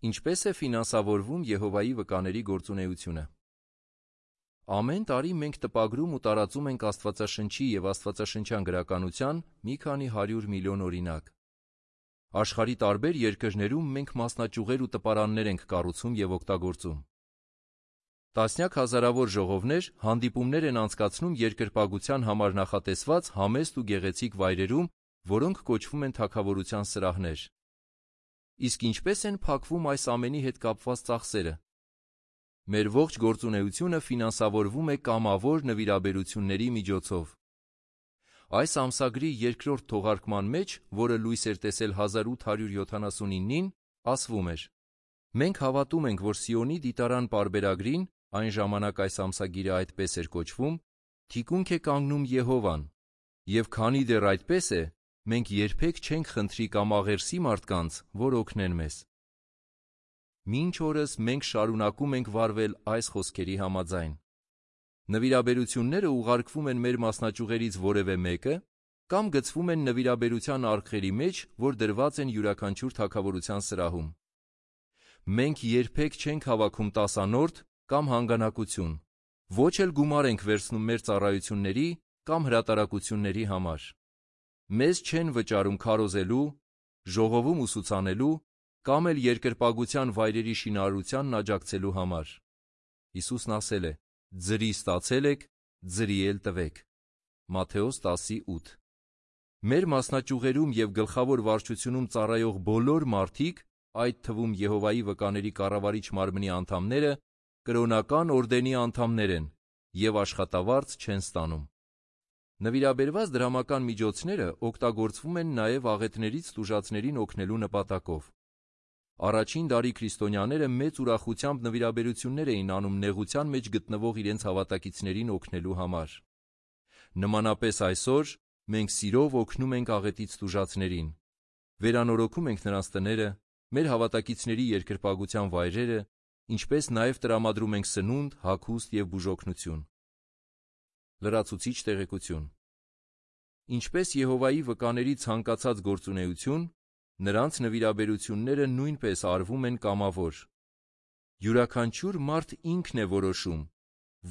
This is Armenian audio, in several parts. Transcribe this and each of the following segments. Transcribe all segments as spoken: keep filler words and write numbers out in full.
Ինչպես է ֆինանսավորվում Եհովայի վկաների գործունեությունը։ Ամեն տարի մենք տպագրում ու տարածում ենք Աստվածաշնչի և աստվածաշնչյան գրականության մի քանի հարյուր միլիոն օրինակ։ Աշխարհի տարբեր երկրներում մենք մասնաճյուղեր ու տպարաններ ենք կառուցում և օգտագործում։ Տասնյակ հազարավոր ժողովներ հանդիպումներ են անցկացնում երկրպագության համար նախատեսված համեստ ու գեղեցիկ վայրերում, որոնք կոչվում են թագավորության սրահներ։ Իսկ ինչպե՞ս են փակվում այս ամենի հետ կապված ծախսերը։ Մեր ողջ գործունեությունը ֆինանսավորվում է կամավոր նվիրաբերությունների միջոցով։ Այս ամսագրի երկրորդ թողարկման մեջ, որը լույս էր տեսել հազար ութ հարյուր յոթանասունինին, ասվում էր. «Մենք հավատում ենք, որ Սիոնի դիտարան պարբերագրին, այն ժամանակ այս ամսագիրը այդպես էր կոչվում, թիկունք է կանգնում Եհովան, և քանի դեռ այդպես է, մենք երբեք չենք խնդրի կամ աղերսի մարդկանց, որ օգնեն մեզ»։ Մինչ օրս մենք շարունակում ենք վարվել այս խոսքերի համաձայն։ Նվիրաբերությունները ուղարկվում են մեր մասնաճյուղերից որևէ մեկը կամ գցվում են նվիրաբերության արկղերի մեջ, որ դրված են յուրաքանչյուր թագավորության սրահում։ Մենք երբեք չենք հավաքում տասանորդ կամ հանգանակություն, ոչ էլ գումար ենք վերցնում մեր ծառայությունների կամ հրատարակությունների համար։ Մեզ չեն վճարում քարոզելու, ժողովում ուսուցանելու կամ էլ երկրպագության վայրերի շինարարությանն աջակցելու համար։ Հիսուսն ասել է. «Ձրի ստացել եք, ձրի էլ տվեք» Մատթեոս տասի ութ։ Մեր մասնաճյուղերում և գլխավոր վարչությունում ծառայող բոլոր մարդիկ, այդ թվում Եհովայի վկաների կառավարիչ մարմնի անդամները, կրոնական օրդենի անդամներ են և աշխատավարձ չեն ստանում։ Նվիրաբերված դրամական միջոցները օգտագործվում են նաև աղետներից տուժածներին օգնելու նպատակով։ Առաջին դարի քրիստոնյաները մեծ ուրախությամբ նվիրաբերություններ էին անում նեղության մեջ գտնվող իրենց հավատակիցներին օգնելու համար։ Նմանապես այսօր մենք սիրով օգնում ենք աղետից տուժածներին, վերանորոգում ենք նրանց տները, մեր հավատակիցների երկրպագության վայրերը, ինչպես նաև տրամադրում ենք սնունդ, հագուստ և բուժօգնություն։ Լրացուցիչ տեղեկություն։ Ինչպես Եհովայի վկաների ցանկացած գործունեություն, նրանց նվիրաբերությունները նույնպես արվում են կամավոր։ Յուրաքանչյուր մարդ ինքն է որոշում,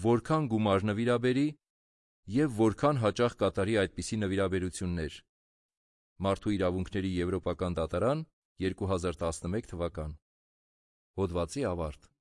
որքան գումար նվիրաբերի և որքան հաճախ կատարի այդպիսի նվիրաբերություններ։ Մարդու իրավունքների եվրոպական դատարան, երկու հազար տասնմեկ թվական։ Հոդվացի ավարտ։